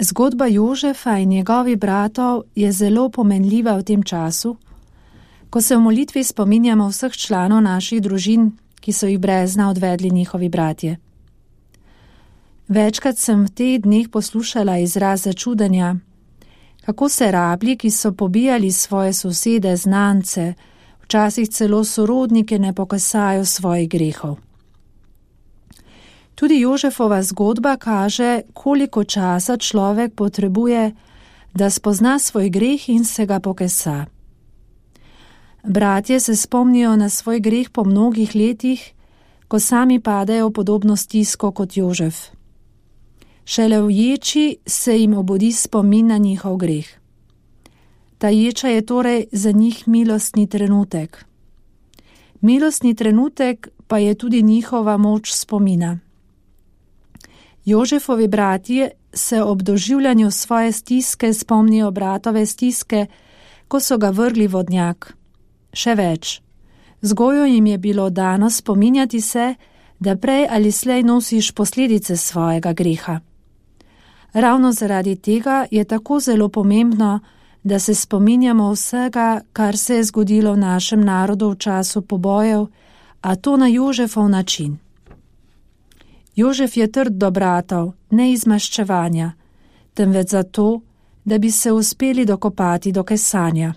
Zgodba Jožefa in njegovih bratov je zelo pomenljiva v tem času, ko se v molitvi spominjamo vseh članov naših družin, ki so jih brez dna odvedli njihovi bratje. Večkrat sem v teh dneh poslušala izraz začudenja, kako se rablji, ki so pobijali svoje sosede, znance, včasih celo sorodnike, ne pokasajo svojih grehov. Tudi Jožefova zgodba kaže, koliko časa človek potrebuje, da spozna svoj greh in se ga pokesa. Bratje se spomnijo na svoj greh po mnogih letih, ko sami padejo v podobno stisko kot Jožef. Šele v ječi se jim obudi spomin na njihov greh. Ta ječa je torej za njih milostni trenutek. Milostni trenutek pa je tudi njihova moč spomina. Jožefovi bratje se ob doživljanju svoje stiske spomnijo bratove stiske, ko so ga vrgli v vodnjak. Še več, vzgojo jim je bilo dano spominjati se, da prej ali slej nosiš posledice svojega greha. Ravno zaradi tega je tako zelo pomembno, da se spominjamo vsega, kar se je zgodilo v našem narodu v času pobojev, a to na Jožefov način. Jožef je trd do bratov, ne iz maščevanja, temveč zato, da bi se uspeli dokopati do kesanja.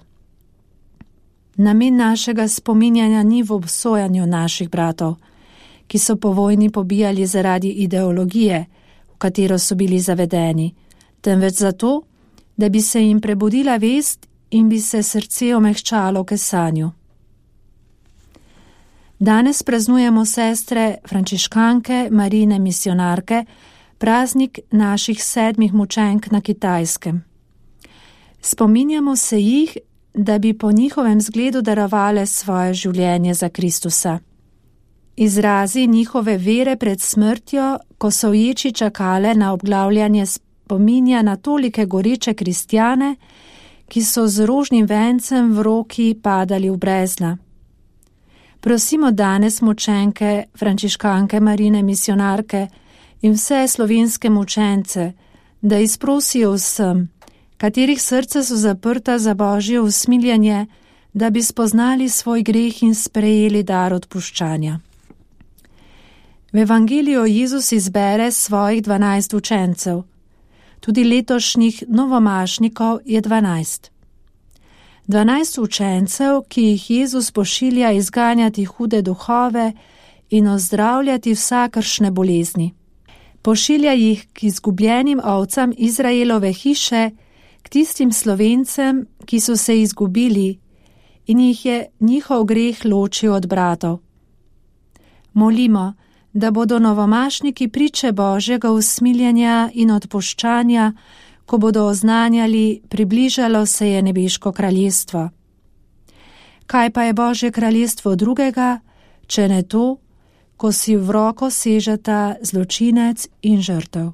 Namen našega spominjanja ni v obsojanju naših bratov, ki so po vojni pobijali zaradi ideologije, v katero so bili zavedeni, temveč zato, da bi se jim prebudila vest in bi se srce omehčalo v kesanju. Danes praznujemo sestre frančiškanke, Marijine misijonarke, praznik naših 7 mučenk na Kitajskem. Spominjamo se jih, da bi po njihovem zgledu darovale svoje življenje za Kristusa. Izrazi njihove vere pred smrtjo, ko so v ječi čakale na obglavljanje, spominja na tolike goreče kristjane, ki so z rožnim vencem v roki padali v brezna. Prosimo danes mučenke, frančiškanke, Marijine misijonarke in vse slovenske mučence, da izprosijo vsem, katerih srca so zaprta za Božje usmiljenje, da bi spoznali svoj greh in sprejeli dar odpuščanja. V Evangeliju Jezus izbere svojih 12 učencev. Tudi letošnjih novomašnikov je 12. 12 učencev, ki jih Jezus pošilja izganjati hude duhove in ozdravljati vsakršne bolezni. Pošilja jih k izgubljenim ovcam Izraelove hiše, k tistim Slovencem, ki so se izgubili in jih je njihov greh ločil od bratov. Molimo, da bodo novomašniki priče Božjega usmiljenja in odpuščanja, ko bodo oznanjali, približalo se je nebeško kraljestvo. Kaj pa je Božje kraljestvo drugega, če ne to, ko si v roko sežeta zločinec in žrtev?